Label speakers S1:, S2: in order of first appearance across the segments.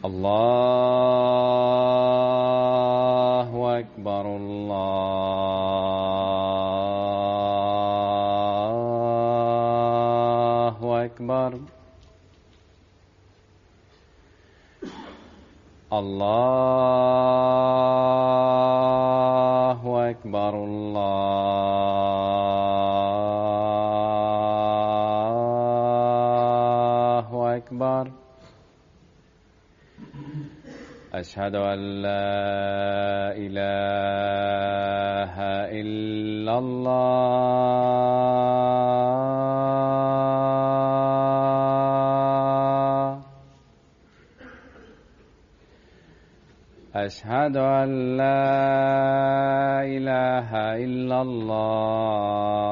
S1: الله أكبر الله أكبر الله أكبر الله أكبر أشهد أن لا إله إلا الله أشهد أن لا إله إلا الله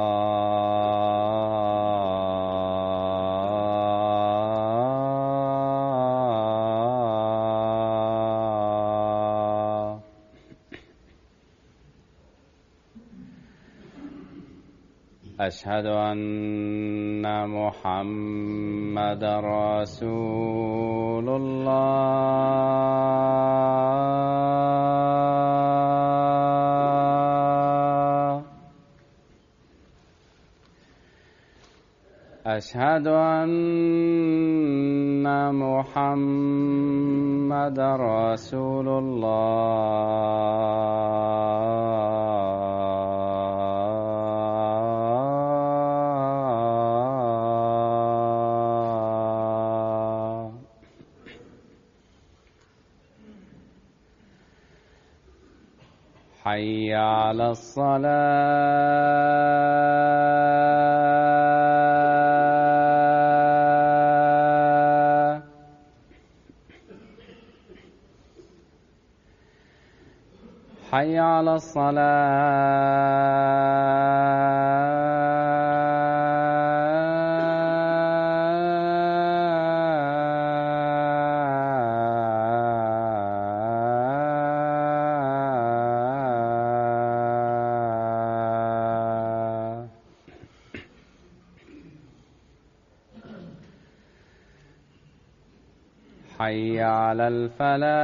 S1: أشهد أن محمدًا رسول الله أشهد أن محمدًا رسول الله حي على الصلاة حي على الصلاة حي على الفلاح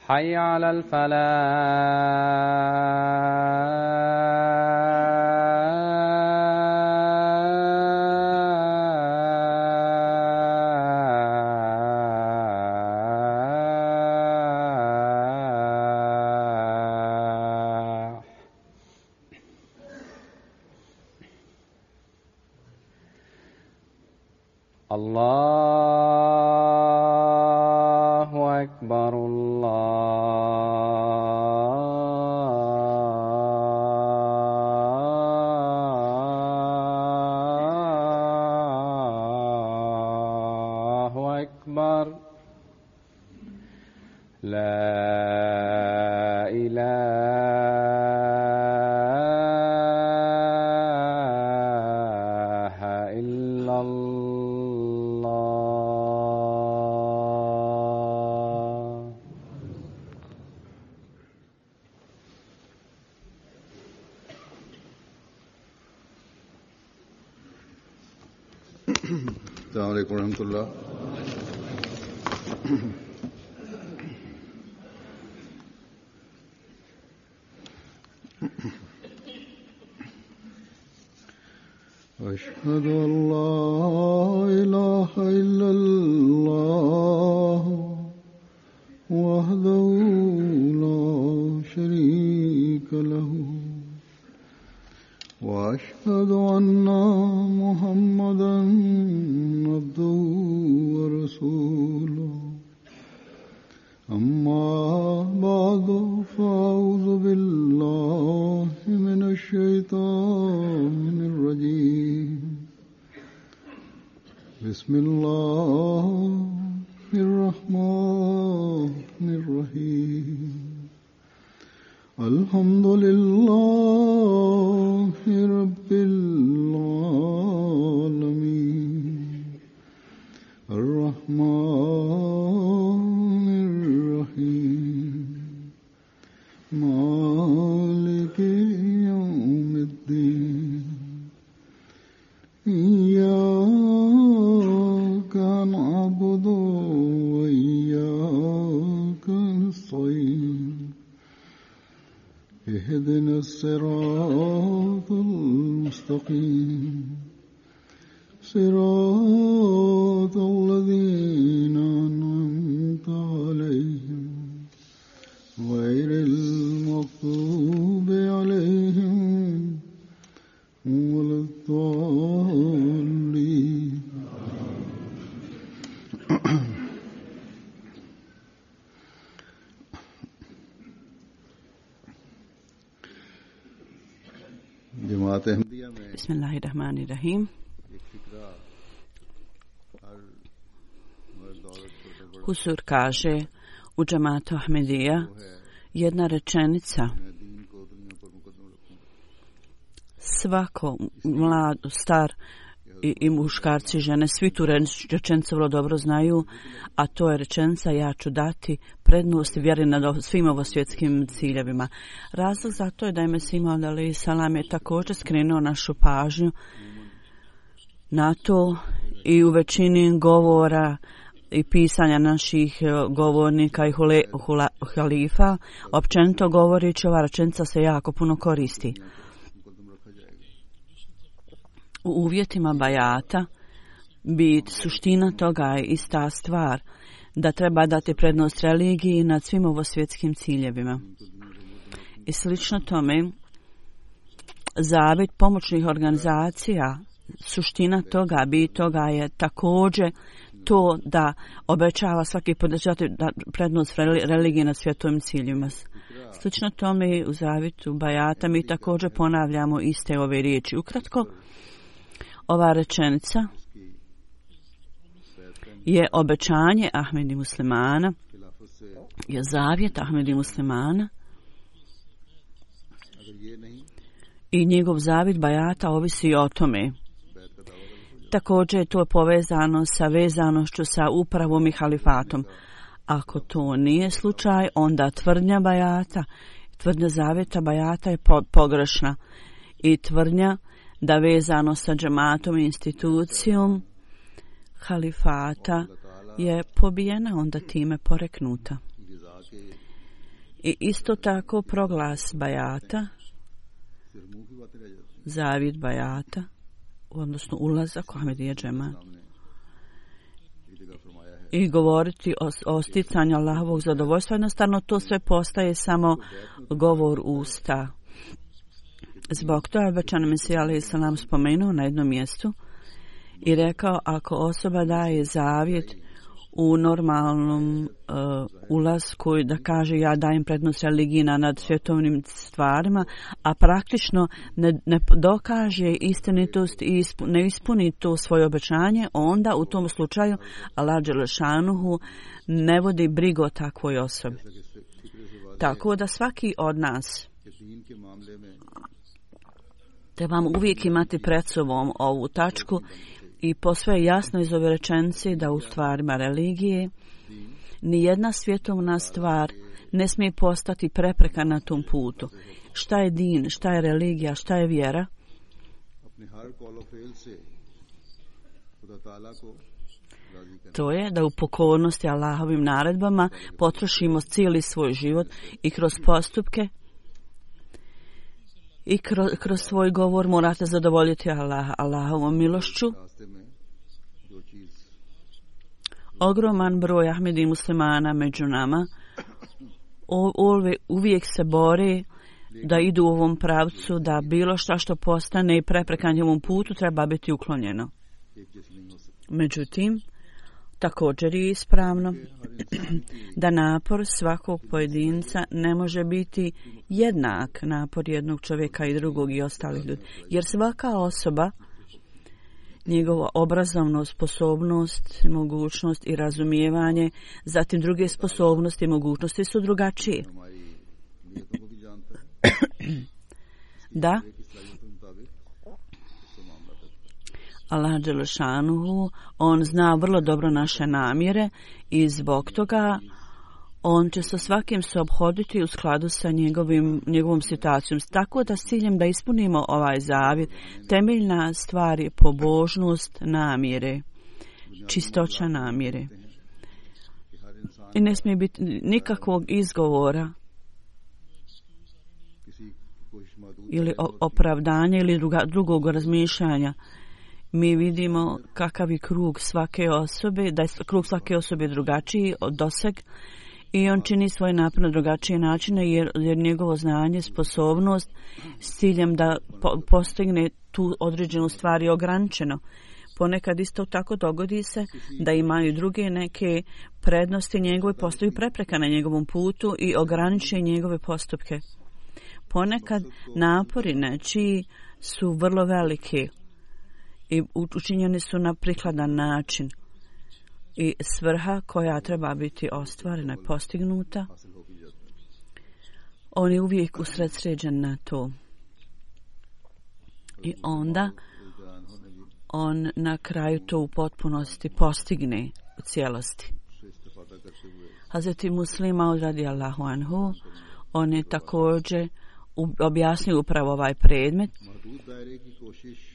S1: حي على الفلاح الله أكبر الله أكبر لا إله إلا الله
S2: السلام عليكم ورحمة الله. أشهد أن لا إله إلا الله وحده لا شريك له وأشهد أن محمدًا عبده ورسوله. أما بعد فأعوذ بالله من الشيطان الرجيم. بسم الله الرحمن الرحيم. الحمد لله رب العالمين. الرحمن الرحيم. مالك اهدنا الصراط المستقيم صراط الذين أنعمت عليهم غير المغضوب عليهم ولا الضالين.
S3: Bismillahirrahmanirrahim. Husur kaže u džematu Ahmedija jedna rečenica: svako mlad, star i muškarci i žene, svi tu rečenicu vrlo dobro znaju, a to je rečenica: ja ću dati prednost vjeri nad svim ovosvjetskim ciljevima. Razlog za to je da je Mesih Maud alejhi selam je također skrenuo našu pažnju na to i u većini govora i pisanja naših govornika i halifa, općenito govoreći, ova rečenica se jako puno koristi. U uvjetima bajata suština toga je ista stvar, da treba dati prednost religiji nad svim ovosvjetskim ciljevima. I slično tome, zavjet pomoćnih organizacija, suština toga je također to da obećava svaki podržati prednost religije nad svjetovim ciljevima. Slično tome u zavjetu bajata mi također ponavljamo iste ove riječi. Ukratko, ova rečenica je obećanje Ahmedi muslimana, je zavjet Ahmedi muslimana, i njegov zavjet bajata ovisi o tome. Također je to povezano sa vezanošću sa upravom i halifatom. Ako to nije slučaj, onda tvrdnja zavjeta bajata je pogrešna, i tvrdnja da vezano sa džematom i institucijom halifata je pobijena, onda time poreknuta. I isto tako proglas bajata, zavjet bajata, odnosno ulazak u Ahmedija džemat, i govoriti o sticanju Allahovog zadovoljstva, jednostavno to sve postaje samo govor usta. Zbog toga je obećani Mesija alejhi selam spomenuo na jednom mjestu i rekao: ako osoba daje zavjet u normalnom ulasku, da kaže ja dajem prednost religiji nad svjetovnim stvarima, a praktično ne dokaže istinitost i ne ispuni to svoje obećanje, onda u tom slučaju Allah dželešanuhu ne vodi brigu o takvoj osobi. Tako da svaki od nas trebamo uvijek imati pred sobom ovu tačku i posve je jasno iz ove rečenice da u stvarima religije nijedna svjetovna stvar ne smije postati prepreka na tom putu. Šta je din, šta je religija, šta je vjera? To je da u pokornosti Allahovim naredbama potrošimo cijeli svoj život i kroz postupke i kroz svoj govor morate zadovoljiti Allahovom milošću. Ogroman broj Ahmedi muslimana među nama uvijek se bore da idu u ovom pravcu, da bilo što postane prepreka njihovom putu treba biti uklonjeno. Međutim, također je ispravno da napor svakog pojedinca ne može biti jednak napor jednog čovjeka i drugog i ostalih ljudi. Jer svaka osoba, njegova obrazovna sposobnost, mogućnost i razumijevanje, zatim druge sposobnosti i mogućnosti su drugačije. Da, Allah dželešanuhu, on zna vrlo dobro naše namjere i zbog toga on će sa svakim se ophoditi u skladu sa njegovom situacijom. Tako da s ciljem da ispunimo ovaj zavjet, temeljna stvar je pobožnost namjere, čistoća namjere. I ne smije biti nikakvog izgovora ili opravdanja ili drugog razmišljanja. Mi vidimo kakav je krug svake osobe, da je krug svake osobe drugačiji od doseg i on čini svoj napor na drugačije načine jer njegovo znanje, sposobnost s ciljem da postigne tu određenu stvar je ograničeno. Ponekad isto tako dogodi se da imaju druge neke prednosti njegove, postaju prepreka na njegovom putu i ograniče njegove postupke. Ponekad napori nečiji su vrlo veliki i učinjeni su na prikladan način i svrha koja treba biti ostvarena i postignuta, on je uvijek usredsređen na to. I onda on na kraju to u potpunosti postigne u cijelosti. Hazreti Muslim Maud radijallahu anhu, on je također objasnio upravo ovaj predmet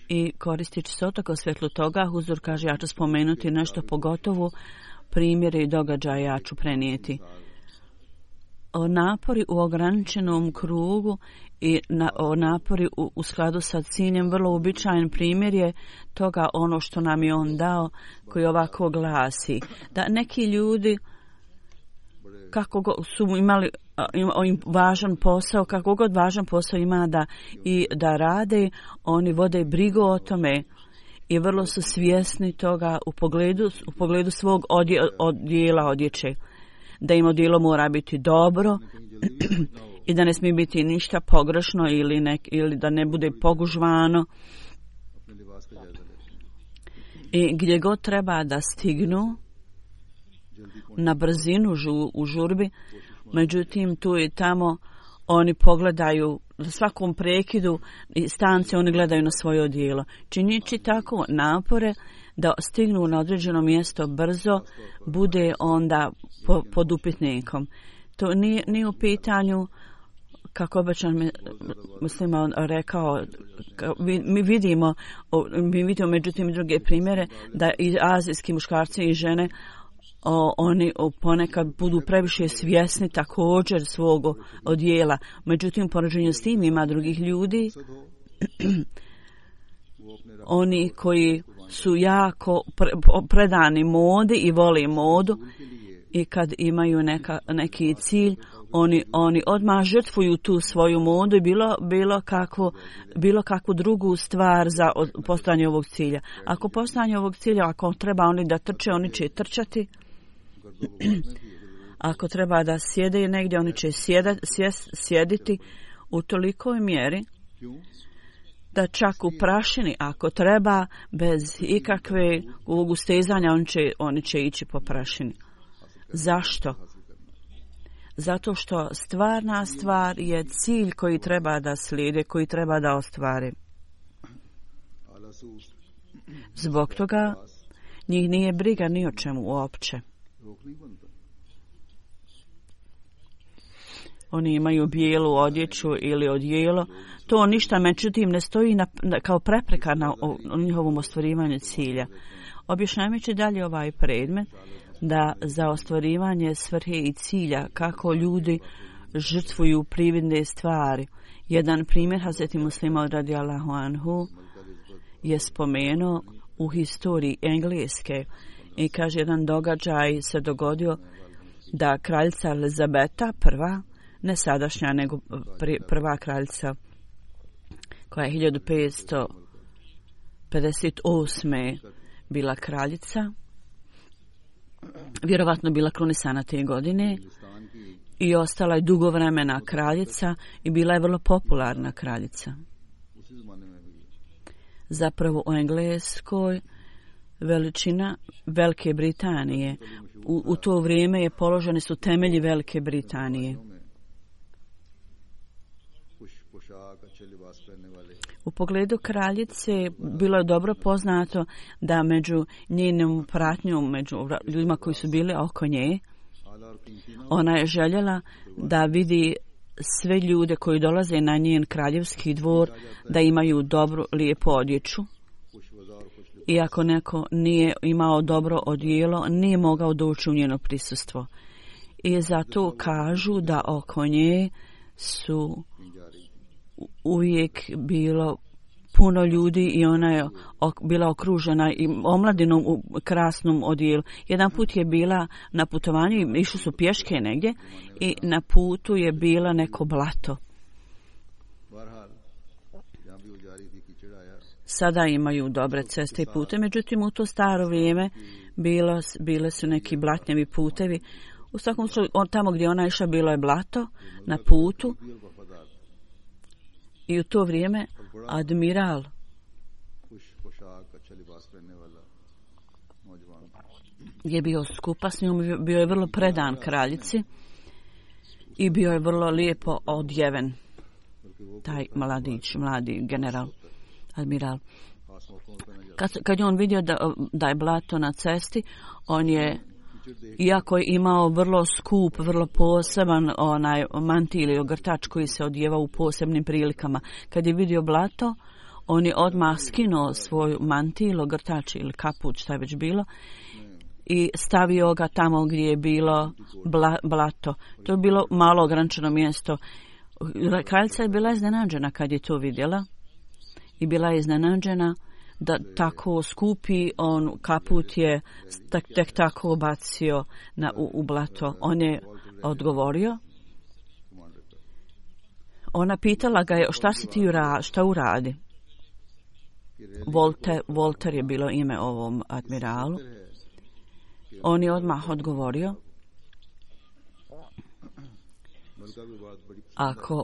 S3: i koristeći se otako svjetlu toga, Huzur kaže, ja ću spomenuti nešto pogotovo primjere i događaje ja ću prenijeti. O napori u ograničenom krugu i o napori u skladu sa ciljem, vrlo uobičajen primjer je toga ono što nam je on dao, koji ovako glasi. Da neki ljudi kako su imali važan posao, kako god važan posao ima da rade, oni vode brigu o tome i vrlo su svjesni toga u pogledu svog odjela odjeće. Da im odjelo mora biti dobro i da ne smije biti ništa pogrešno ili da ne bude pogužvano. I gdje god treba da stignu na brzinu u žurbi, međutim tu i tamo oni pogledaju na svakom prekidu i stanci oni gledaju na svoje odjelo. Činići tako napore da stignu na određeno mjesto brzo, bude onda pod upitnikom. To nije u pitanju, kako obično Muslim on rekao, mi vidimo međutim druge primjere da i azijski muškarci i žene oni ponekad budu previše svjesni također svog odjela. Međutim, poređenju s tim ima drugih ljudi, oni koji su jako predani modi i vole modu i kad imaju neki cilj, oni odmah žrtvuju tu svoju modu i bilo kakvu drugu stvar za postojanje ovog cilja. Ako postojanje ovog cilja, ako treba oni da trče, oni će trčati. Ako treba da sjede negdje, oni će sjediti u tolikoj mjeri da čak u prašini, ako treba, bez ikakve ustezanja, oni će ići po prašini. Zašto? Zato što stvarna stvar je cilj koji treba da slijede, koji treba da ostvari. Zbog toga njih nije briga ni o čemu uopće. Oni imaju bijelu odjeću ili odjelo. To ništa, međutim, ne stoji kao prepreka na njihovom ostvarivanju cilja. Objašnjavajući dalje ovaj predmet, da za ostvarivanje svrhe i cilja kako ljudi žrtvuju prividne stvari. Jedan primjer Hazreti Muslima radijallahu anhu je spomenuo u historiji Engleske i kaže jedan događaj se dogodio da kraljica Elizabeta prva, ne sadašnja nego prva kraljica koja je 1558. bila kraljica, vjerovatno bila krunisana te godine i ostala je dugo vremena kraljica i bila je vrlo popularna kraljica. Zapravo u Engleskoj veličina Velike Britanije. U to vrijeme je položeni su temelji Velike Britanije. U pogledu kraljice bilo je dobro poznato da među njenom pratnjom, među ljudima koji su bili oko nje, ona je željela da vidi sve ljude koji dolaze na njen kraljevski dvor da imaju dobru, lijepu odjeću. I ako neko nije imao dobro odjelo, nije mogao doći u njeno prisustvo. I zato kažu da oko nje su uvijek bilo puno ljudi i ona je bila okružena i omladinom u krasnom odijelu. Jedan put je bila na putovanju i išli su pješke negdje i na putu je bila neko blato. Sada imaju dobre ceste i pute, međutim u to staro vrijeme bile su neki blatnjavi putevi. U svakom slučaju, tamo gdje ona išla bilo je blato na putu i u to vrijeme admiral je bio skupa s njom, bio je vrlo predan kraljici i bio je vrlo lijepo odjeven. Taj mladi general, admiral. Kad je on vidio da je blato na cesti, on je, iako je imao vrlo skup, vrlo poseban onaj mantil ili ogrtač koji se odjeva u posebnim prilikama, kad je vidio blato, on je odmah skinuo svoj mantil, ogrtač ili kaput, šta je već bilo, i stavio ga tamo gdje je bilo blato. To je bilo malo ograničeno mjesto. Kraljica je bila iznenađena kad je to vidjela i bila je iznenađena da tako skupi on kaput je tek tako bacio u blato. On je odgovorio. Ona pitala ga je šta si ti šta uradi. Volter je bilo ime ovom admiralu. On je odmah odgovorio.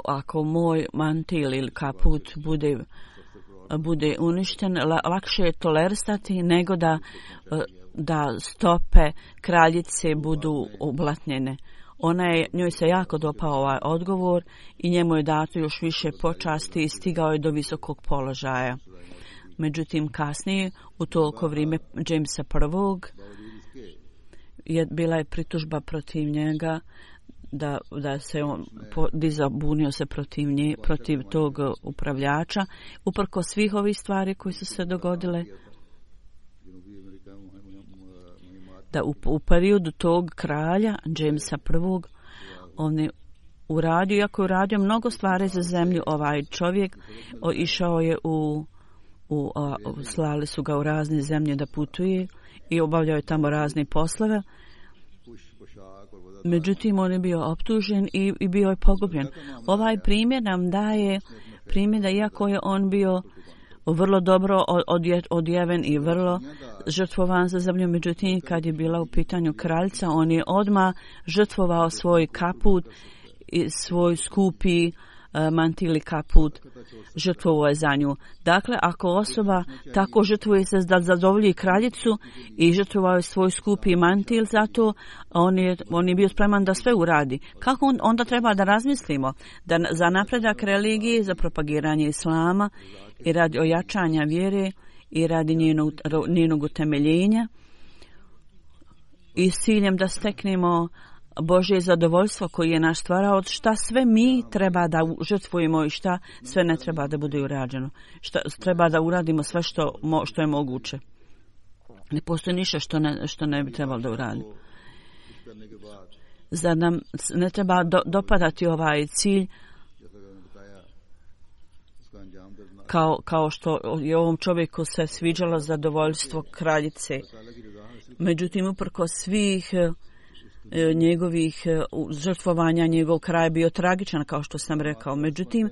S3: Ako moj mantil ili kaput bude uništen, lakše je tolerisati nego da stope kraljice budu oblatnjene. Njoj se jako dopao ovaj odgovor i njemu je dato još više počasti i stigao je do visokog položaja. Međutim, kasnije, u toliko vrijeme Jamesa I. Bila je pritužba protiv njega da se on bunio se protiv tog upravljača, uprkos svih ovih stvari koji su se dogodile, da u periodu tog kralja Jamesa I. on je uradio, iako je uradio mnogo stvari za zemlju, ovaj čovjek išao je slali su ga u razne zemlje da putuje i obavljao je tamo razne poslove. Međutim, on je bio optužen i bio je pogubljen. Ovaj primjer nam daje primjer da iako je on bio vrlo dobro odjeven i vrlo žrtvovan za zemlju, međutim, kad je bila u pitanju kraljica, on je odmah žrtvovao svoj kaput i svoj skupi mantil i kaput, žrtvovao je za nju. Dakle, ako osoba tako žrtvuje se da zadovolji kraljicu i žrtvovao je svoj skupi mantil za to, on je bio spreman da sve uradi. Kako onda treba da razmislimo? Da za napredak religije, za propagiranje islama i radi ojačanja vjere i radi njenog utemeljenja i s ciljem da steknemo Božje zadovoljstvo koji je naš stvarao, šta sve mi treba da žrtvujemo i šta sve ne treba da bude urađeno. Šta treba da uradimo sve što je moguće. Ne postoji ništa što ne bi trebalo da uradimo. Zar nam ne treba dopadati ovaj cilj kao što je ovom čovjeku se sviđalo zadovoljstvo kraljice. Međutim, uprkos svih njegovih žrtvovanja, njegov kraj bio tragičan, kao što sam rekao. Međutim,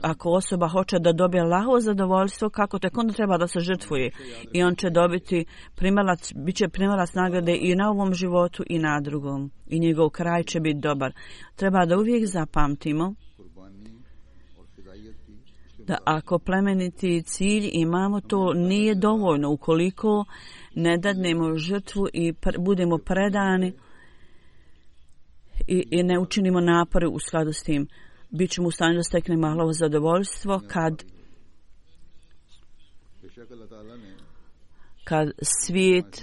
S3: ako osoba hoće da dobije Allahovo zadovoljstvo, kako tek onda treba da se žrtvuje. I on će bit će primalac nagrade i na ovom životu i na drugom. I njegov kraj će biti dobar. Treba da uvijek zapamtimo da ako plemeniti cilj imamo, to nije dovoljno ukoliko ne dadnemo žrtvu i budemo predani i ne učinimo napore u skladu s tim. Bićemo u stanju da steknemo Allahovo zadovoljstvo kad svijet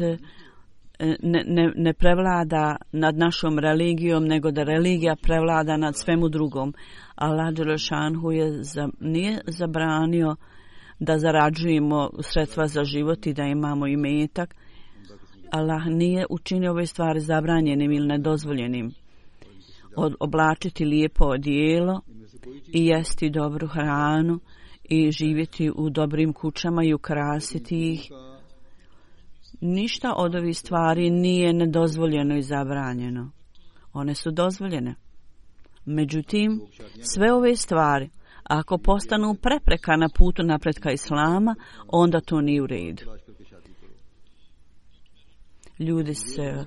S3: ne prevlada nad našom religijom, nego da religija prevlada nad svemu drugom. Allah dželešanhu nije zabranio da zarađujemo sredstva za život i da imamo imetak. Allah nije učinio ove stvari zabranjenim ili nedozvoljenim. oblačiti lijepo odijelo i jesti dobru hranu i živjeti u dobrim kućama i ukrasiti ih. Ništa od ovih stvari nije nedozvoljeno i zabranjeno. One su dozvoljene. Međutim, sve ove stvari, ako postanu prepreka na putu napretka Islama, onda to nije u redu. Ljudi se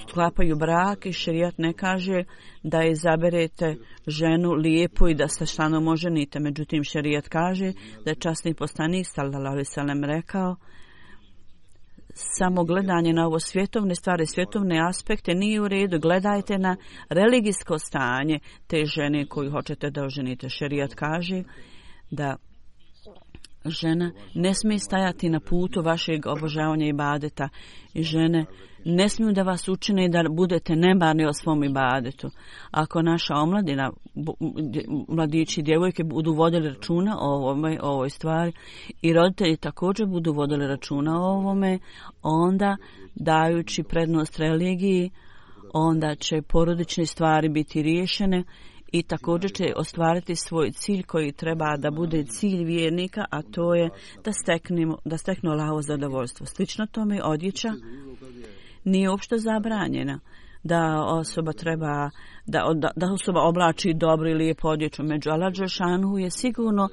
S3: sklapaju brak i šerijat ne kaže da izaberete ženu lijepu i da se stanom oženite. Međutim, šerijat kaže da je časni poslanik sallallahu alejhi ve sellem rekao: samo gledanje na ovo svjetovne stvari, svjetovne aspekte nije u redu. Gledajte na religijsko stanje te žene koju hoćete da oženite. Šerijat kaže da žena ne smije stajati na putu vašeg obožavanja ibadeta i žene ne smiju da vas učine da budete nemarni o svom ibadetu. Ako naša omladina, mladići i djevojke budu vodili računa o ovoj stvari i roditelji također budu vodili računa o ovome, onda dajući prednost religiji, onda će porodične stvari biti riješene i također će ostvariti svoj cilj koji treba da bude cilj vjernika, a to je da steknu Allahovo zadovoljstvo. Slično tome odjeća nije uopšte zabranjena. Da osoba treba, da osoba oblači dobro i lijepo odjeću. Među Allah dželešanu je sigurno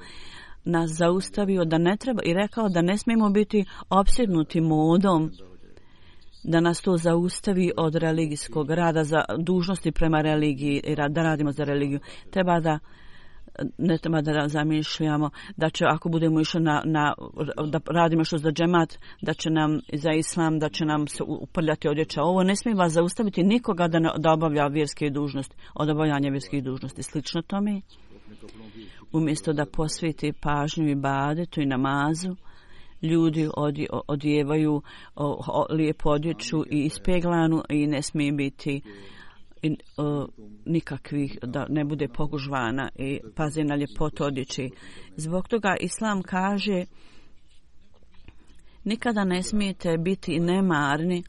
S3: nas zaustavio da ne treba i rekao da ne smijemo biti opsjednuti modom, da nas to zaustavi od religijskog rada, za dužnosti prema religiji i da radimo za religiju. Ne treba da zamišljamo da će, ako budemo išli da radimo što za džemat, da će nam za islam, da će nam se uprljati odjeća. Ovo ne smije vas zaustaviti nikoga da obavlja vjerske dužnosti, od obavljanja vjerskih dužnosti. Slično tome, umjesto da posveti pažnju ibadetu i namazu, ljudi odjevaju lijepu odjeću i ispeglanu i ne smije biti nikakvih, da ne bude pogužvana i pazi na ljepotu odjeći. Zbog toga Islam kaže nikada ne smijete biti nemarni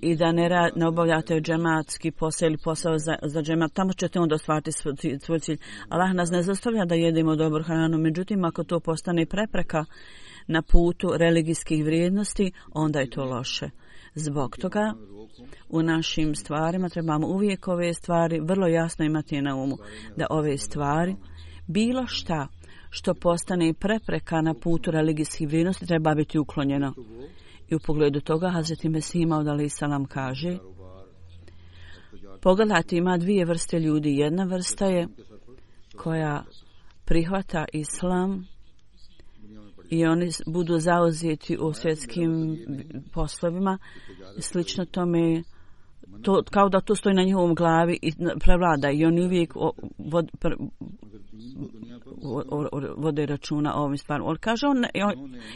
S3: i da ne obavljate džematski posao ili posao za džemat. Tamo ćete onda ostvariti svoj cilj. Allah nas ne zastavlja da jedemo dobru hranu, međutim ako to postane prepreka na putu religijskih vrijednosti, onda je to loše. Zbog toga u našim stvarima trebamo uvijek ove stvari vrlo jasno imati na umu, da ove stvari, bilo šta što postane prepreka na putu religijskih vrijednosti, treba biti uklonjeno. I u pogledu toga Hazreti Mesih Maud alejhi selam kaže: pogledajte, ima dvije vrste ljudi. Jedna vrsta je koja prihvata islam i oni budu zauzeti u svjetskim poslovima. Slično tome, kao da to stoji na njihovom glavi i prevlada i oni uvijek vode računa o ovim stvarima. On kaže,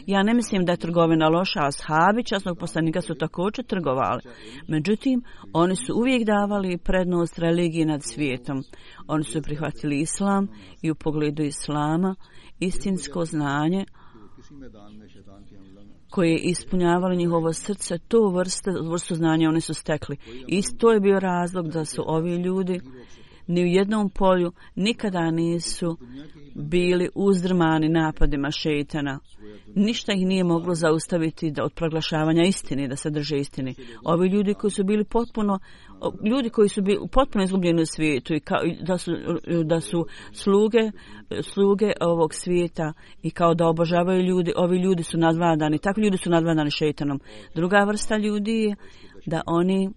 S3: ja ne mislim da je trgovina loša, ashabi časnog poslanika su također trgovali. Međutim, oni su uvijek davali prednost religiji nad svijetom. Oni su prihvatili islam i u pogledu islama istinsko znanje koje je ispunjavalo njihovo srce, to vrstu znanja oni su stekli. I to je bio razlog da su ovi ljudi ni u jednom polju nikada nisu bili uzdrmani napadima šejtana. Ništa ih nije moglo zaustaviti od proglašavanja istine, da se drže istine. Ovi ljudi koji su bili potpuno izgubljeni u svijetu i da su sluge ovog svijeta i kao da obožavaju ljudi, ovi ljudi su nadvladani, takvi ljudi su nadvladani šejtanom. Druga vrsta ljudi je da oni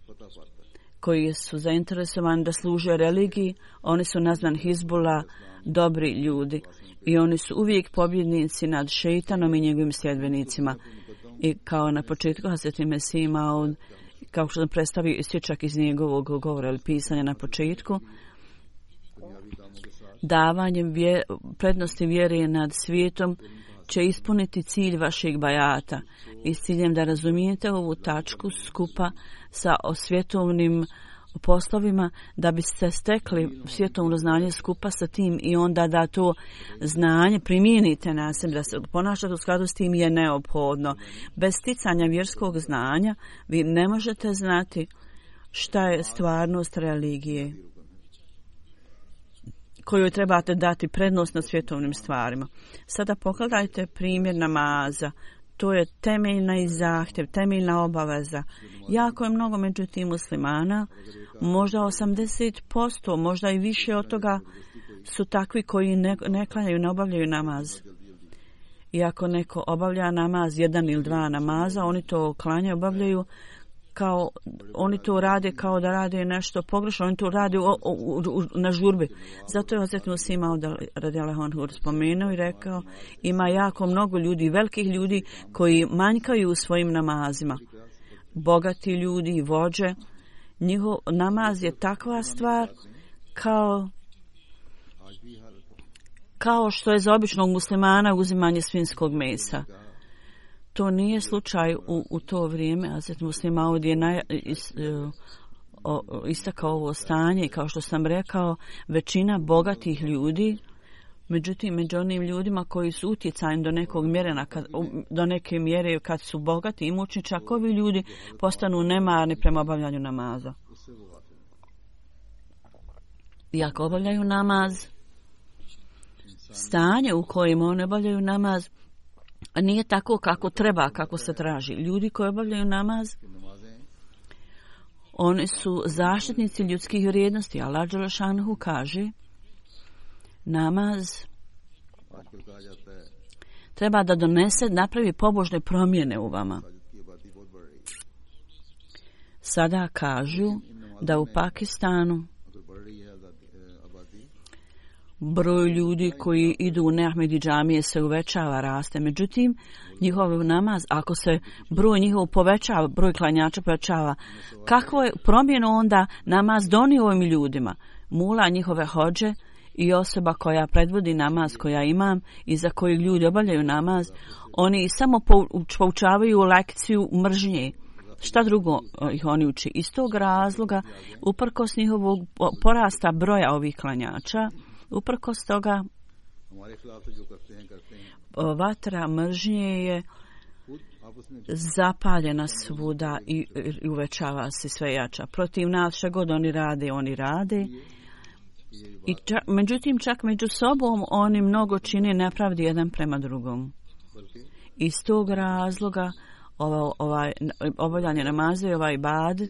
S3: koji su zainteresovani da služe religiji, oni su nazvani Hizbullah, dobri ljudi. I oni su uvijek pobjednici nad šejtanom i njegovim sljedbenicima. I kao na početku Hazreti Mesih Maud, kao što sam predstavio isječak iz njegovog govora ili pisanja na početku, davanjem prednosti vjere nad svijetom će ispuniti cilj vašeg bajata i s ciljem da razumijete ovu tačku skupa sa svjetovnim poslovima da biste stekli svjetovno znanje skupa sa tim i onda da to znanje primijenite na sebe, da se ponašate u skladu s tim je neophodno. Bez sticanja vjerskog znanja vi ne možete znati šta je stvarnost religije kojoj trebate dati prednost na svjetovnim stvarima. Sada pogledajte primjer namaza. To je temeljna i zahtjev, temeljna obaveza. Jako je mnogo među tim muslimana, možda 80%, možda i više od toga su takvi koji ne klanjaju, ne obavljaju namaz. I ako neko obavlja namaz, 1 ili 2 namaza, oni to klanjaju, obavljaju kao, oni to rade kao da rade nešto pogrešno, oni to rade na žurbi. Zato je Hazret Muslih Maud radijallahu anhu spomenuo i rekao, ima jako mnogo ljudi, velikih ljudi koji manjkaju u svojim namazima. Bogati ljudi, vođe, njihov namaz je takva stvar kao što je za običnog muslimana uzimanje svinjskog mesa. To nije slučaj u to vrijeme. Hazret Muslih Maud je istakao ovo stanje i kao što sam rekao, većina bogatih ljudi, međutim među onim ljudima koji su utjecajni do neke mjere kad su bogati i imućni, čak ovi ljudi postanu nemarni prema obavljanju namaza. I ako obavljaju namaz, stanje u kojem oni obavljaju namaz nije tako kako treba, kako se traži. Ljudi koji obavljaju namaz, oni su zaštitnici ljudskih vrijednosti. Allah dželle šanuhu kaže, namaz treba da napravi pobožne promjene u vama. Sada kažu da u Pakistanu broj ljudi koji idu u neahmedi džamije se uvećava, raste. Međutim, njihov namaz, ako se broj njihov povećava, broj klanjača povećava, kakvo je promjenu onda namaz donio ovim ljudima? Mula njihove hođe i osoba koja predvodi namaz, koja imam i za kojeg ljudi obavljaju namaz, oni samo poučavaju lekciju mržnje. Šta drugo ih oni uči? Iz tog razloga, uprkos njihovog porasta broja ovih klanjača, uprkos toga, vatra mržnje je zapaljena svuda i uvećava se sve jača. Protiv nas šta god oni rade. I međutim, čak među sobom oni mnogo čine nepravdi jedan prema drugom. Iz tog razloga obavljanje namaza i ovaj ibad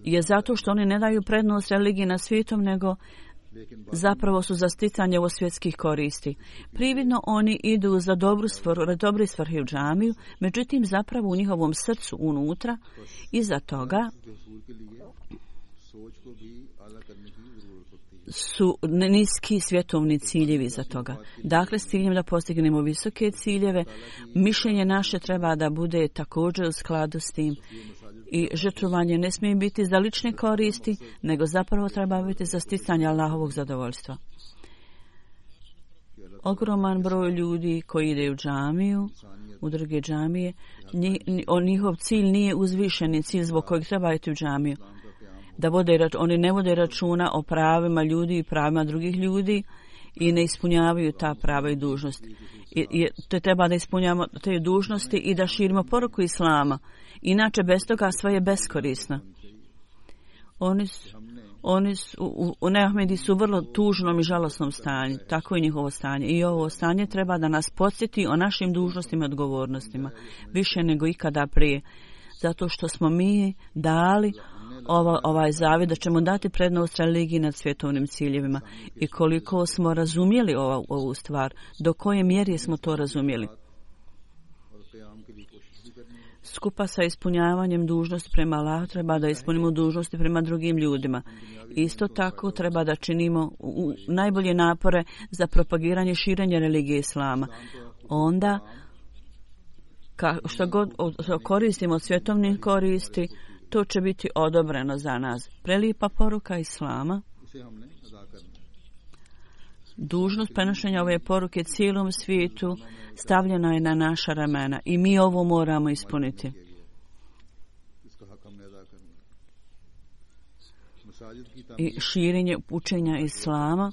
S3: je zato što oni ne daju prednost religiji na svijetom, nego zapravo su za sticanje ovo svjetskih koristi. Prividno oni idu za dobru svrhu u džamiju, međutim zapravo u njihovom srcu unutra iza toga su niski svjetovni ciljevi za toga. Dakle, s ciljem da postignemo visoke ciljeve, mišljenje naše treba da bude također u skladu s tim. I žrtvovanje ne smije biti za lične koristi, nego zapravo treba biti za sticanje Allahovog zadovoljstva. Ogroman broj ljudi koji ide u džamiju, u druge džamije, njihov cilj nije uzvišeni cilj zbog kojeg treba iti u džamiju. Oni ne vode računa o pravima ljudi i pravima drugih ljudi i ne ispunjavaju ta prava i dužnosti. Te treba da ispunjavamo te dužnosti i da širimo poruku Islama. Inače, bez toga sve je beskorisno. Oni u Neahmedi su u vrlo tužnom i žalosnom stanju. Tako je njihovo stanje. I ovo stanje treba da nas podsjeti o našim dužnostima i odgovornostima. Više nego ikada prije. Zato što smo mi dali ovaj zavjet da ćemo dati prednost religiji nad svjetovnim ciljevima. I koliko smo razumjeli ovu stvar, do koje mjere smo to razumjeli. Skupa sa ispunjavanjem dužnosti prema Allahu treba da ispunimo dužnosti prema drugim ljudima. Isto tako treba da činimo najbolje napore za propagiranje i širenje religije Islama. Onda, što god koristimo od svjetovnih koristi, to će biti odobreno za nas. Prelijepa poruka Islama. Dužnost prenošenja ove poruke cijelom svijetu stavljena je na naša ramena i mi ovo moramo ispuniti. i širenje učenja Islama.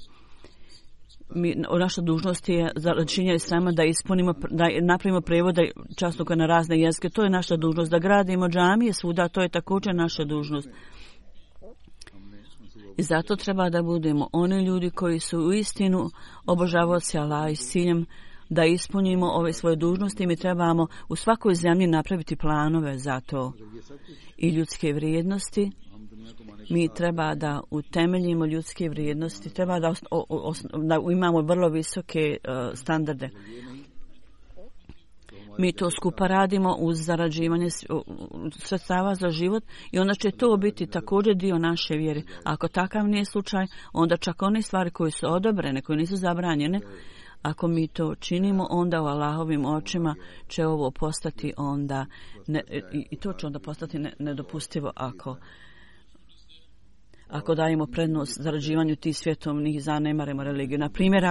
S3: Naša dužnost je za činjenje Islama da ispunimo, da napravimo prevode časnika na razne jezike. To je naša dužnost. Da gradimo džamije svuda, to je također naša dužnost. I zato treba da budemo oni ljudi koji su u istinu obožavaoci Allaha i s ciljem da ispunimo ove svoje dužnosti. Mi trebamo u svakoj zemlji napraviti planove za to i ljudske vrijednosti. Mi treba da utemeljimo ljudske vrijednosti, treba da imamo vrlo visoke standarde. Mi to skupa radimo uz zarađivanje sredstava za život i onda će to biti također dio naše vjere. Ako takav nije slučaj, onda čak one stvari koje su odobrene, koje nisu zabranjene, ako mi to činimo, onda u Allahovim očima će ovo postati onda, i to će onda postati nedopustivo ako dajemo prednost zarađivanju tih svjetovnih, zanemarimo religiju. Na primjer,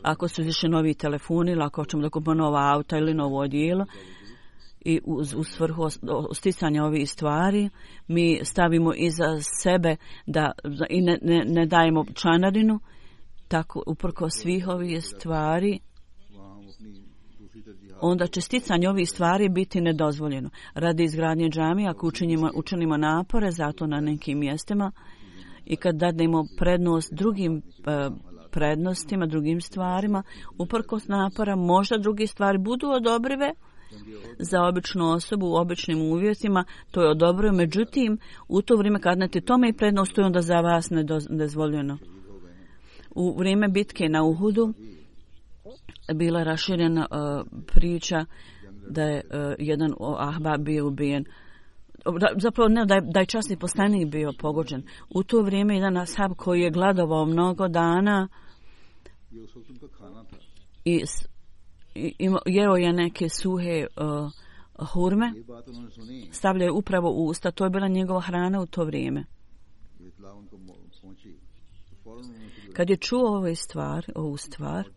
S3: ako su izašli novi telefoni, ili ako ćemo da kupimo nova auta ili novo odijelo i u svrhu sticanja ovih stvari, mi stavimo iza sebe i ne dajemo članarinu, tako uprko svih ovih stvari, onda će sticanje ovih stvari biti nedozvoljeno. Radi izgradnje džamija, ako učinimo napore zato na nekim mjestima i kad dademo prednost drugim prednostima, drugim stvarima, uprkos napora, možda druge stvari budu odobrive za običnu osobu u običnim uvjetima, to je odobrivo, međutim, u to vrijeme kad date tome i prednost, to je onda za vas nedozvoljeno. U vrijeme bitke na Uhudu bila je raširena priča da je jedan ahbab bio ubijen. Zapravo ne, da je časni poslanik bio pogođen. U to vrijeme jedan ashab koji je gladovao mnogo dana i jeo je neke suhe hurme, stavljaju upravo u usta. To je bila njegova hrana u to vrijeme. Kad je čuo ovu stvar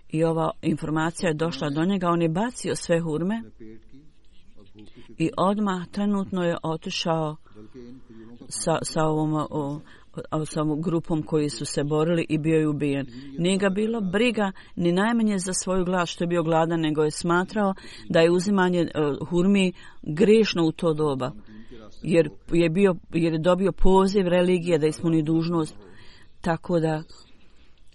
S3: i ova informacija je došla do njega, on je bacio sve hurme i odmah trenutno je otišao sa ovom grupom koji su se borili i bio je ubijen. Nije ga bilo briga ni najmanje za svoju glad što je bio gladan, nego je smatrao da je uzimanje hurmi grešno u to doba. Jer je dobio poziv religije da ispuni dužnost, tako da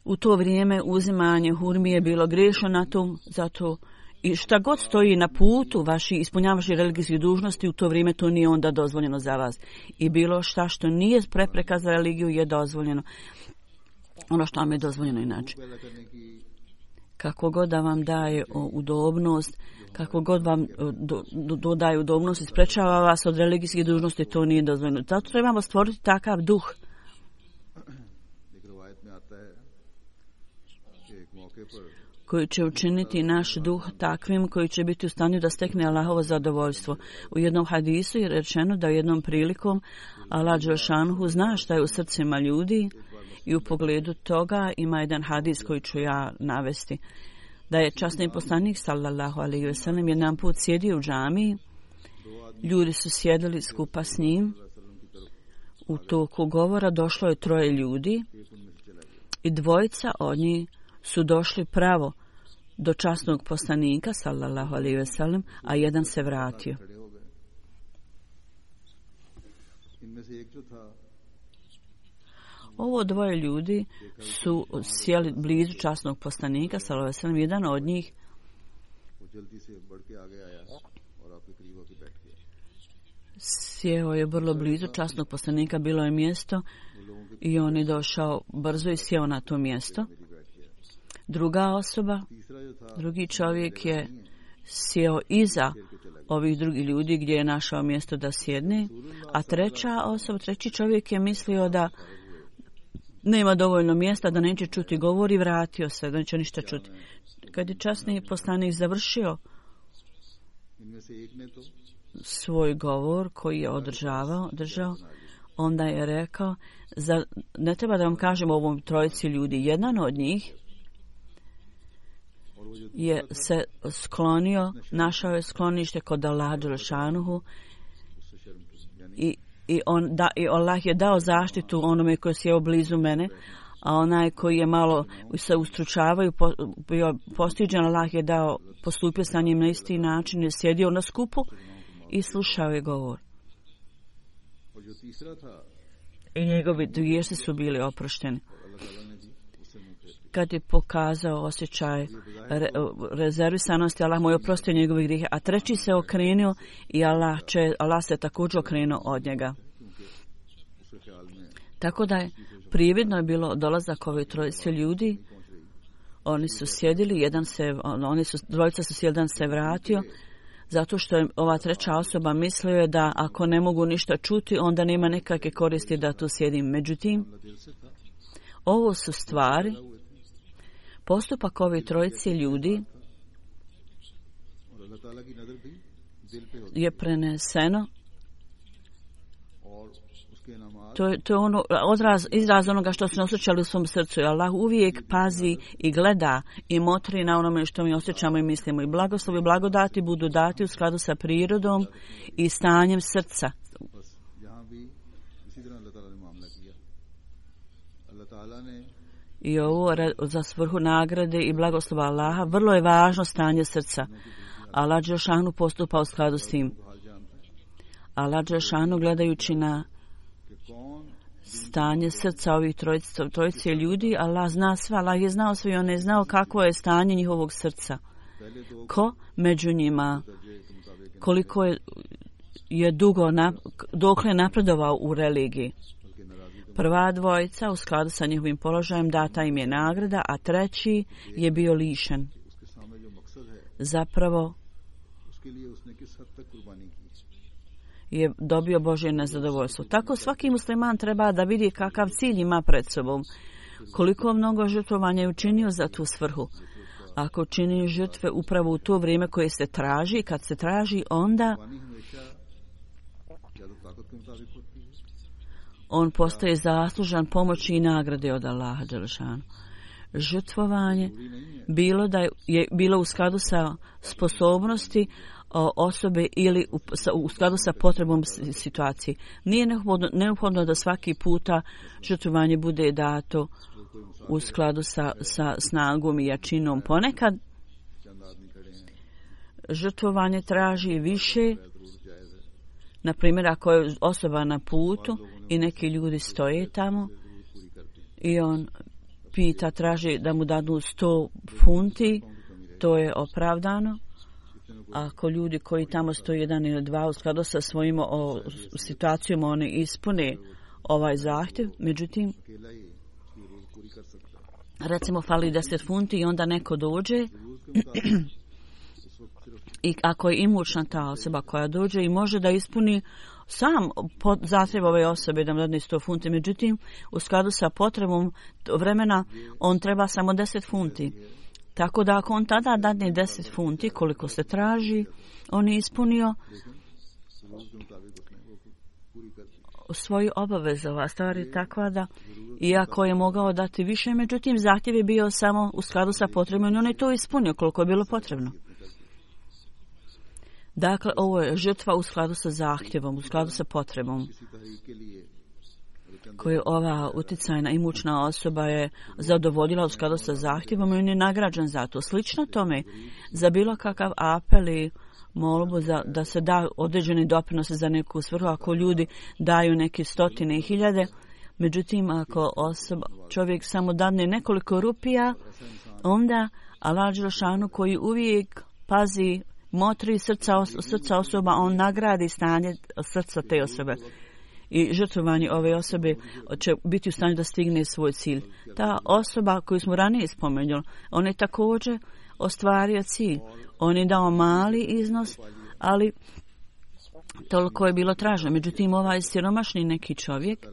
S3: u to vrijeme uzimanje hurmi je bilo grešno na tom, zato i šta god stoji na putu ispunjavaš religijskih dužnosti, u to vrijeme to nije onda dozvoljeno za vas. I bilo šta što nije prepreka za religiju je dozvoljeno. Ono što vam je dozvoljeno inače. Kako god da vam daje udobnost, kako god vam dodaje udobnost i sprečava vas od religijskih dužnosti, to nije dozvoljeno. Zato trebamo stvoriti takav duh koji će učiniti naš duh takvim koji će biti u stanju da stekne Allahovo zadovoljstvo. U jednom hadisu je rečeno da jednom prilikom Allah dželešanohu zna šta je u srcima ljudi i u pogledu toga ima jedan hadis koji ću ja navesti. Da je časni poslanik sallallahu alejhi ve sellem jedan put sjedio u džamiji, ljudi su sjedili skupa s njim, u toku govora došlo je 3 ljudi i 2 od njih su došli pravo do časnog poslanika sallallahu alejhi ve sellem, a jedan se vratio. Ovo 2 ljudi su sjeli blizu časnog poslanika sallallahu alejhi ve sellem, jedan od njih sjeo je vrlo blizu časnog poslanika, bilo je mjesto i on je došao brzo i sjeo na to mjesto. Druga osoba, drugi čovjek je sjeo iza ovih drugih ljudi gdje je našao mjesto da sjedne, a treći čovjek je mislio da nema dovoljno mjesta, da neće čuti govor i vratio se, da neće ništa čuti. Kad je časni poslanik završio svoj govor koji je držao, onda je rekao, ne treba da vam kažem ovom 3 ljudi, jedan od njih je se sklonio, našao je sklonište kod Allaha dželešanuhu I Allah je dao zaštitu onome koji je blizu mene, a onaj koji je malo se ustručavaju, bio postiđen, Allah je dao, postupio sa njim na isti način, je sjedio na skupu i slušao je govor. I njegovi grijesi su bili oprošteni. Kad je pokazao osjećaj rezervisanosti, Allah mu je oprostio njegove grijehe, a treći se okrenuo i Allah se također okrenuo od njega. Tako da je prividno je bilo dolazak ove trojice ljudi. Oni su sjedili, dvojica su sjeli, jedan se vratio, zato što je ova treća osoba mislio da ako ne mogu ništa čuti, onda nema nekakve koristi da tu sjedim. Međutim, ovo su stvari, postupak ove trojice ljudi je preneseno. To je ono izraz onoga što se osjećali u svom srcu. Allah uvijek pazi i gleda i motri na onome što mi osjećamo i mislimo. I blagoslovi i blagodati budu dati u skladu sa prirodom i stanjem srca. I ovo za svrhu nagrade i blagoslova Allaha vrlo je važno stanje srca. Allah dželešanu postupa u skladu s tim. Allah dželešanu gledajući na stanje srca ovih trojice ljudi, Allah zna sve, Allah je znao sve i on je znao kakvo je stanje njihovog srca. Ko među njima, koliko je dugo, dokle napredovao u religiji. Prva dvojica u skladu sa njihovim položajem data im je nagrada, a treći je bio lišen. Zapravo je dobio Božje nezadovoljstvo. Tako svaki musliman treba da vidi kakav cilj ima pred sobom. Koliko mnogo žrtvovanja je učinio za tu svrhu. Ako čini žrtve upravo u to vrijeme koje se traži, kad se traži, onda on postaje zaslužan pomoći i nagrade od Allaha dželešanu. Žrtvovanje bilo u skladu sa sposobnosti osobe ili u skladu sa potrebom situacije. Nije neophodno da svaki puta žrtvovanje bude dato u skladu sa snagom i jačinom. Ponekad žrtvovanje traži više. Na primjer, ako je osoba na putu i neki ljudi stoje tamo i on traži da mu dadu 100 funti, to je opravdano. Ako ljudi koji tamo stoji jedan ili dva u skladu sa svojim situacijom, oni ispune ovaj zahtjev. Međutim, recimo fali 10 funti i onda neko dođe i ako je imućna ta osoba koja dođe i može da ispuni sam zahtjev ove osobe da mu dadne 100 funti, međutim u skladu sa potrebom vremena on treba samo 10 funti. Tako da ako on tada dadne 10 funti koliko se traži, on je ispunio svoju obavezu. Ova stvar je takva da iako je mogao dati više, međutim zahtjev je bio samo u skladu sa potrebom i on je to ispunio koliko je bilo potrebno. Dakle, ovo je žrtva u skladu sa zahtjevom, u skladu sa potrebom koju ova utjecajna imućna osoba je zadovoljila u skladu sa zahtjevom i on je nagrađen za to. Slično tome, za bilo kakav apel i molbu da se da određeni doprinose za neku svrhu, ako ljudi daju neke stotine i hiljade, međutim, ako čovjek samo dadne nekoliko rupija, onda Allah dželešanu koji uvijek pazi, motri srca osoba, on nagradi stanje srca te osobe. I žrtvovanje ove osobe će biti u stanju da stigne svoj cilj. Ta osoba koju smo ranije spomenuli, on je također ostvario cilj. On je dao mali iznos, ali toliko je bilo traženo. Međutim, ovaj siromašni neki čovjek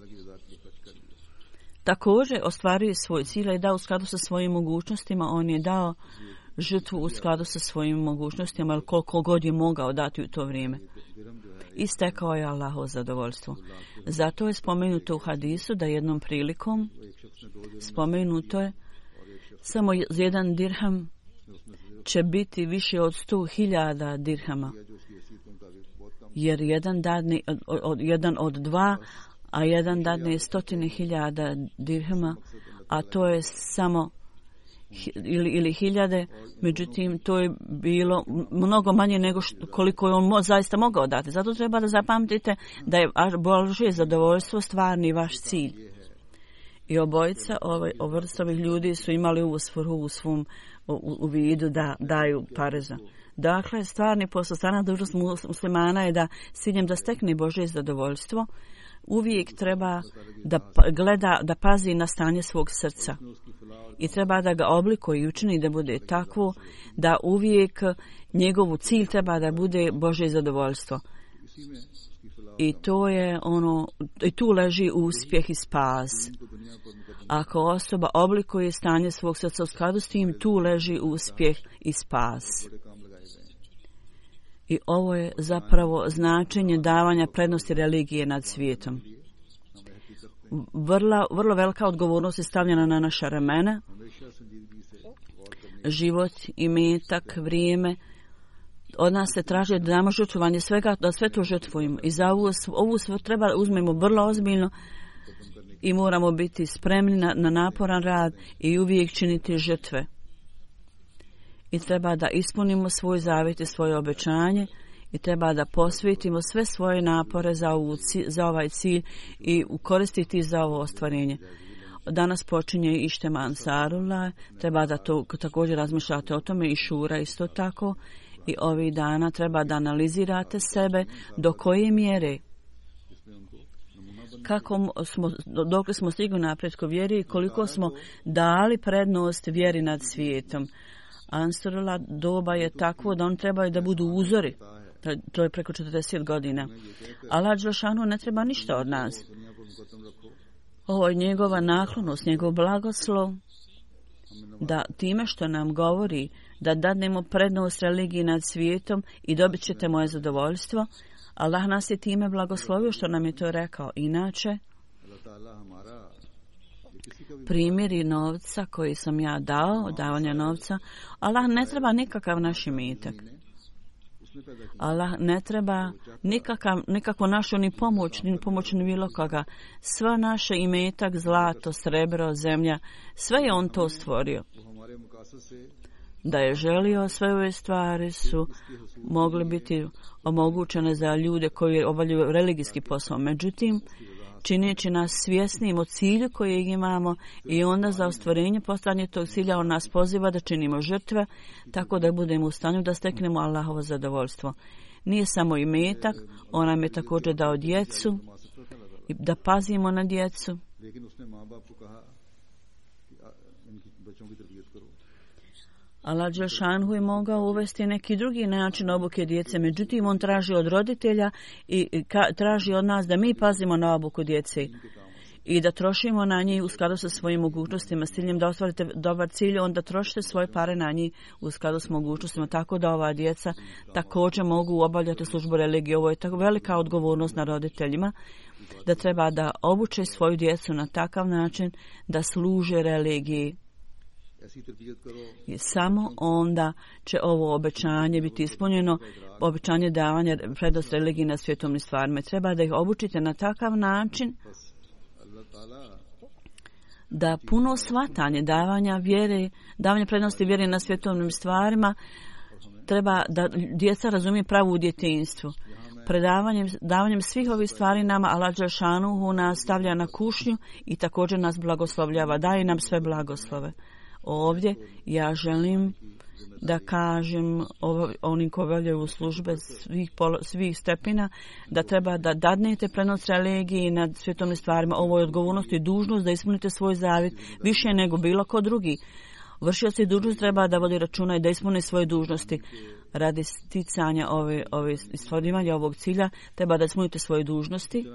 S3: također ostvario svoj cilj i dao u skladu sa svojim mogućnostima. On je dao žrtvu u skladu sa svojim mogućnostima, ali koliko god je mogao dati u to vrijeme. I stekao je Allahovo zadovoljstvo. Zato je spomenuto u hadisu da jednom prilikom spomenuto je samo jedan dirham će biti više od 100.000 dirhama. jer jedan od dva, a jedan dadne 100.000 dirhema, a to je samo ili hiljade, međutim to je bilo mnogo manje nego koliko je on zaista mogao dati. Zato treba da zapamtite da je Božje zadovoljstvo stvarni vaš cilj. I obojica ovih ljudi su imali ovu svrhu u svom u vidu da daju pareza. Dakle, stvarni posao, stvarna dužnost muslimana je da s ciljem da stekne Božje zadovoljstvo uvijek treba da gleda, da pazi na stanje svog srca. I treba da ga oblikuje i učini da bude takvo da uvijek njegovu cilj treba da bude Božje zadovoljstvo. I to je i tu leži uspjeh i spas. Ako osoba oblikuje stanje svog srca u skladu s tim, tu leži uspjeh i spas. I ovo je zapravo značenje davanja prednosti religije nad svijetom. Vrlo velika odgovornost je stavljena na naša ramena. Život, imetak, vrijeme. Od nas se traži da damo žrtvovanje svega, da sve to žrtvujemo. I za ovu sve treba uzmemo vrlo ozbiljno i moramo biti spremni na naporan rad i uvijek činiti žrtve. I treba da ispunimo svoj zavjet i svoje obećanje i treba da posvetimo sve svoje napore za ovaj cilj i koristiti za ovo ostvarenje. Danas počinje Ištema Ansarullah, treba da to također razmišljate o tome i šura isto tako. I ovih dana treba da analizirate sebe do koje mjere, dok smo stigli naprijed ko vjeri i koliko smo dali prednost vjeri nad svijetom. Ansarullah doba je takvo da on trebaju da budu uzori. To je preko 40 godina. Allah dželešanu ne treba ništa od nas. Ovo je njegova naklonost, njegov blagoslov, da time što nam govori da dadnemo prednost religiji nad svijetom i dobit ćete moje zadovoljstvo, Allah nas je time blagoslovio što nam je to rekao. Inače, primjeri novca koji sam ja dao, davanja novca, Allah ne treba nikakav naš imetak. Allah ne treba nikakvu našu ni pomoć ni bilo koga. Sva naše imetak, zlato, srebro, zemlja, sve je on to stvorio. Da je želio, sve ove stvari su mogle biti omogućene za ljude koji obavljaju religijski posao. Međutim, čineći nas svjesnim o cilju kojeg imamo i onda za ostvarenje postanje tog cilja on nas poziva da činimo žrtve tako da budemo u stanju da steknemo Allahovo zadovoljstvo. Nije samo imetak, on nam je također dao djecu i da pazimo na djecu. Allah dželešanu je mogao uvesti neki drugi način obuke djece, međutim on traži od roditelja i traži od nas da mi pazimo na obuku djece i da trošimo na njih u skladu sa svojim mogućnostima. S ciljem da ostvarite dobar cilj, onda trošite svoje pare na njih u skladu s mogućnostima, tako da ova djeca također mogu obavljati službu religije. Ovo je tako velika odgovornost na roditeljima, da treba da obuče svoju djecu na takav način da služe religiji. I samo onda će ovo obećanje biti ispunjeno, obećanje davanja prednosti religiji na svjetovnim stvarima. Treba da ih obučite na takav način da puno shvatanje davanja prednosti vjere na svjetovnim stvarima, treba da djeca razumije pravu u djetinjstvu. Davanjem svih ovih stvari nama Allah dželešanu nas stavlja na kušnju i također nas blagoslovljava, daje nam sve blagoslove. Ovdje ja želim da kažem onim koji obavljaju službe svih stepena da treba da dadnete prednost religiji nad svjetovnim stvarima. Ovo je odgovornost i dužnost da ispunite svoj zavjet više nego bilo ko drugi. Vršioci dužnost treba da vodi računa i da ispune svoje dužnosti. Radi sticanja ostvarivanja ovog cilja treba da ispunite svoje dužnosti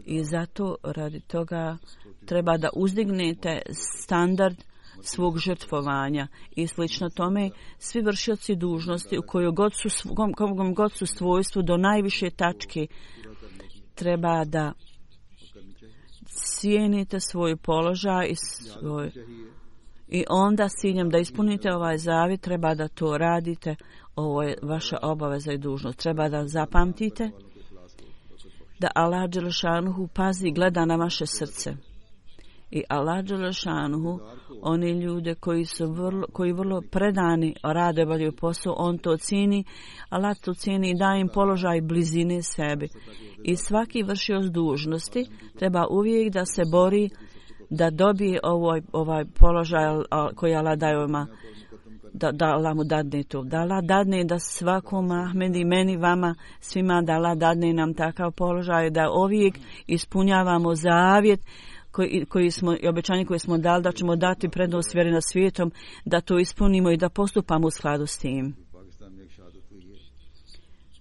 S3: i zato radi toga treba da uzdignete standard svog žrtvovanja i slično tome. Svi vršioci dužnosti u kojoj god su svojstvu do najviše tačke treba da cijenite svoj položaj I onda s ciljem da ispunite ovaj zavjet treba da to radite. Ovo je vaša obaveza i dužnost. Treba da zapamtite da Allah dželešanuhu pazi, gleda na vaše srce. I Allah dželešanuhu, oni ljude koji vrlo predani rade, obavljaju posao, on to cijeni. Allah to cijeni i daje im položaj blizine sebi. I svaki vršioc dužnosti treba uvijek da se bori da dobije ovaj položaj koji Allah daje ovima, da Allah mu dadne to. Da Allah dadne da svakom Ahmedi, meni, vama, svima, da Allah dadne nam takav položaj, da uvijek ispunjavamo zavjet koji smo, i obećanje koje smo dali da ćemo dati prednost vjeri nad svijetom, da to ispunimo i da postupamo u skladu s tim.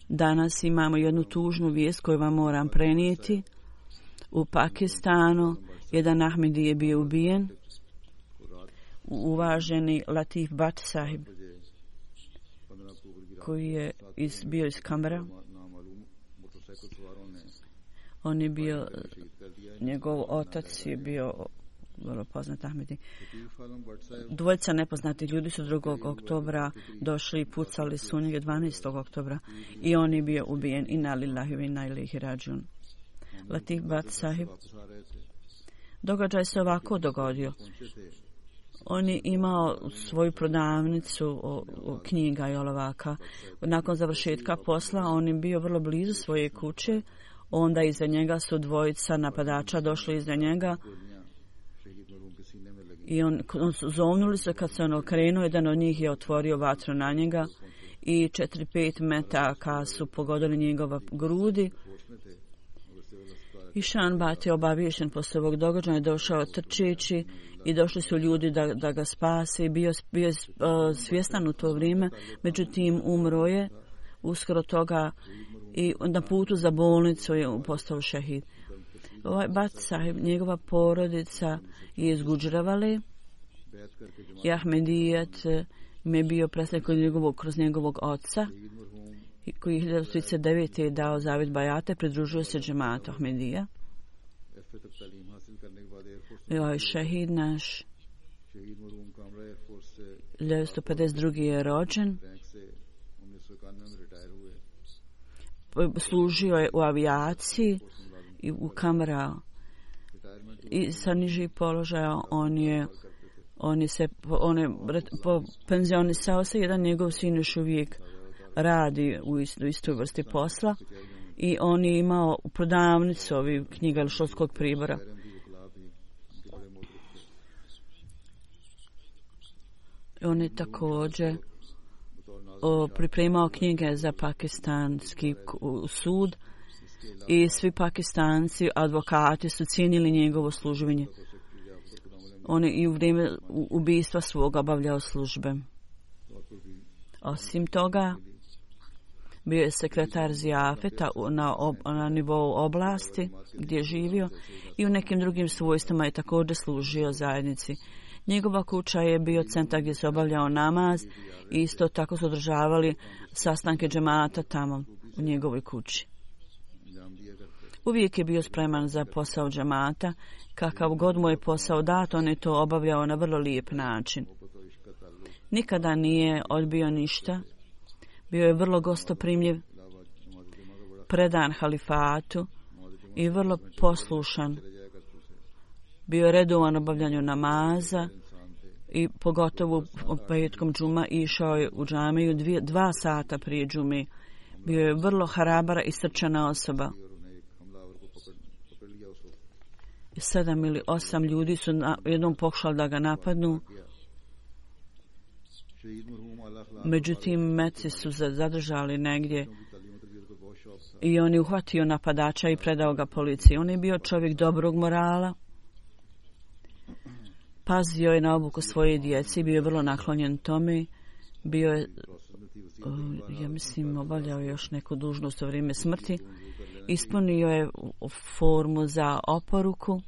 S3: Danas imamo jednu tužnu vijest koju vam moram prenijeti. U Pakistanu jedan Ahmedi je bio ubijen. Uvaženi Latif Bhatt sahib, koji je bio iz Kambera. On je bio, njegov otac je bio vrlo poznat Ahmedi. Dvojica nepoznati ljudi su 2. oktobra došli i pucali su njega 12. oktobra i on je bio ubijen. Inna lillahi wa inna ilaihi rađiun. Latif Bhatt sahib. Događaj se ovako dogodio. On je imao svoju prodavnicu knjiga i olovaka. Nakon završetka posla on je bio vrlo blizu svoje kuće. Onda iza njega su dvojica napadača došli iza njega i on su zovnuli se. Kad se on okrenuo, jedan od njih je otvorio vatru na njega i 4-5 metaka su pogodili njegova grudi. I Šan Bhatt je obaviješten poslije ovog događaja, došao trčeći i došli su ljudi da ga spase. Bio je svjestan u to vrijeme, međutim umro je uskoro toga i na putu za bolnicu je postao šehid. Ovaj Bhatt sahib, njegova porodica je iz Gudžravale i Ahmedijet mi je bio predstavnik kroz njegovog oca koji 1939. je dao zavjet bajate, pridružio se džematu Ahmedija. I ovaj šehid naš 1952. je rođen. Služio je u avijaciji i u Kamera i sa nižih položaja on je penzionisao se. Jedan njegov sin još uvijek radi u istoj vrsti posla i on je imao prodavnicu ovih knjiga ili školskog pribora. On je također pripremao knjige za pakistanski sud i svi Pakistanci, advokati su cijenili njegovo služenje. On je i u vrijeme ubistva svog obavljao službe. Osim toga, bio je sekretar zijafeta na nivou oblasti gdje je živio i u nekim drugim svojstvima je također služio zajednici. Njegova kuća je bio centar gdje se obavljao namaz i isto tako su održavali sastanke džemata tamo u njegovoj kući. Uvijek je bio spreman za posao džemata. Kakav god mu je posao dat, on je to obavljao na vrlo lijep način. Nikada nije odbio ništa. Bio je vrlo gostoprimljiv, predan halifatu i vrlo poslušan. Bio je redovan obavljanju namaza i pogotovo petkom džuma išao je u džamiju 2 sata prije džume. Bio je vrlo harabara i srčana osoba. 7 ili 8 ljudi su jednom pokušali da ga napadnu. Međutim, meci su zadržali negdje i on je uhvatio napadača i predao ga policiji. On je bio čovjek dobrog morala. Pazio je na obuku svoje djece, bio je vrlo naklonjen tome. Bio je, ja mislim, obavljao još neku dužnost u vrijeme smrti. Ispunio je formu za oporuku.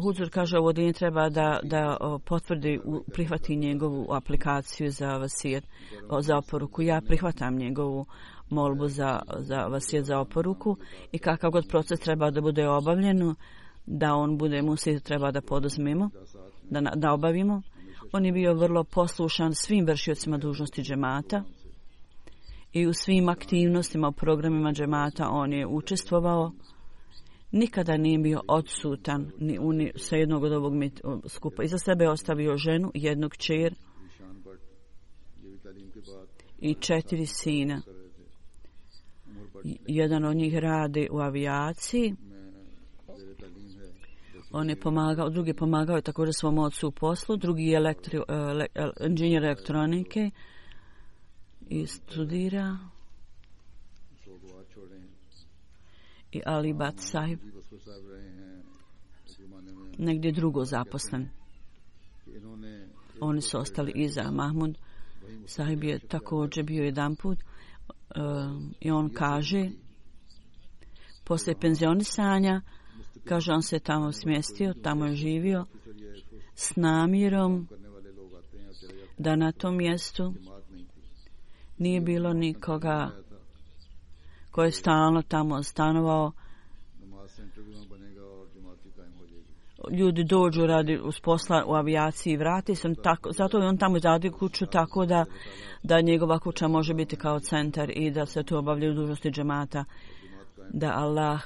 S3: Huzur kaže ovo din treba da potvrdi, prihvati njegovu aplikaciju za vasijet, za oporuku. Ja prihvatam njegovu molbu za vasijet, za oporuku i kakav god proces treba da bude obavljen, da on bude musi treba da poduzmemo, da obavimo. On je bio vrlo poslušan svim vršiocima dužnosti džemata i u svim aktivnostima, u programima džemata on je učestvovao. Nikada nije bio odsutan ni sa jednog od ovog skupa. Iza sebe je ostavio ženu, jednog kćer i 4 sina. Jedan od njih radi u avijaciji. On je pomagao, drugi pomagao je također svom ocu u poslu, drugi je inženjer elektronike i studira. I Ali Bat Sahib negdje drugo zaposlen. Oni su ostali iza. Mahmud Sahib je također bio jedan put i on kaže poslije penzionisanja, kaže on se tamo smjestio, tamo je živio s namjerom da na tom mjestu nije bilo nikoga koji je stalno tamo stanovao. Ljudi dođu radi uz posla u avijaciji i vrati se. Zato je on tamo izradio kuću tako da njegova kuća može biti kao centar i da se tu obavljaju dužnosti džemata. Da Allah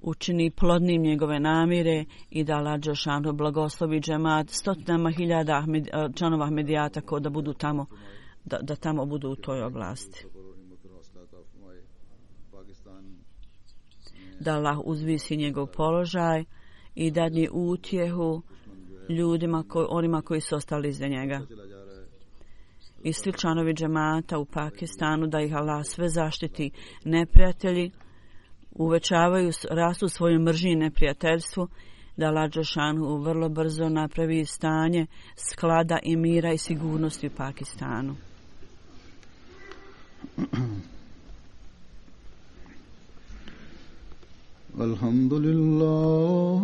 S3: učini plodnim njegove namire i da Allah dželešanu blagoslovi džemat stotinama hiljada članova Ahmedijata ko da budu tamo, da tamo budu u toj oblasti. Da Allah uzvisi njegov položaj i dadne utjehu ljudima, onima koji su ostali iza njega. I svi članovi džemata u Pakistanu, da ih Allah sve zaštiti. Neprijatelji uvećavaju, rastu svoju mržnju i neprijateljstvu, da Allah dželešanu vrlo brzo napravi stanje sklada i mira i sigurnosti u Pakistanu.
S2: Alhamdulillah,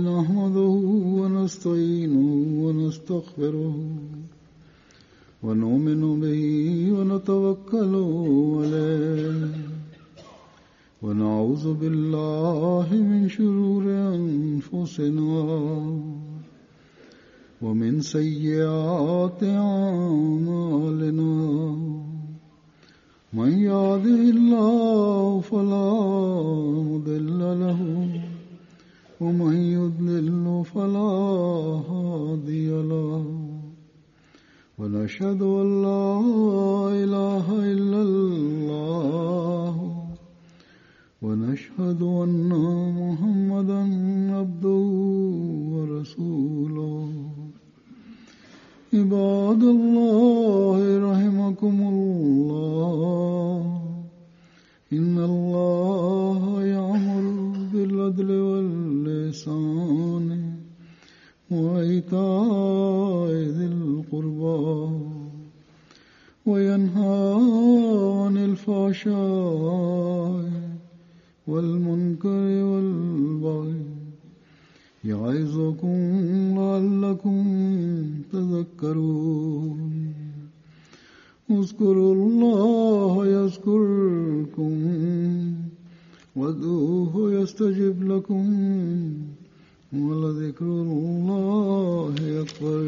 S2: nahmaduhu wa nasta'inuhu wa nastaghfiruhu wa nu'minu bihi wa natawakkalu alayhi wa na'udhu billahi min shururi anfusina wa min sayyiati a'malina. من يهده الله فلا مضل له ومن يضلل فلا هادي له ونشهد أن لا إله إلا الله ونشهد أن محمدا عبده ورسوله. عباد الله رحمكم الله إن الله يأمر بالعدل والإحسان وإيتاء ذي القربى وينهى عن الفحشاء والمنكر والبغي يعظكم لعلكم تذكرون. اذكروا الله يذكركم وادعوه يستجب لكم ولذكر الله أكبر.